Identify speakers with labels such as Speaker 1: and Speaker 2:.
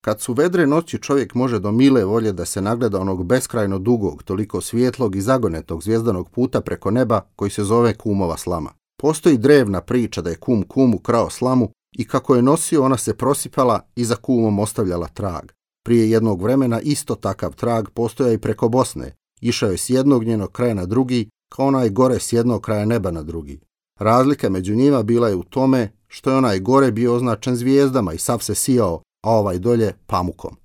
Speaker 1: Kad su vedre noći, čovjek može do mile volje da se nagleda onog beskrajno dugog, toliko svijetlog i zagonetog zvjezdanog puta preko neba koji se zove kumova slama. Postoji drevna priča da je kum kumu krao slamu i kako je nosio ona se prosipala i za kumom ostavljala trag. Prije jednog vremena isto takav trag postojao i preko Bosne. Išao je s jednog njenog kraja na drugi, kao onaj gore s jednog kraja neba na drugi. Razlika među njima bila je u tome što je onaj gore bio označen zvijezdama i sav se sijao, a ovaj dolje pamukom.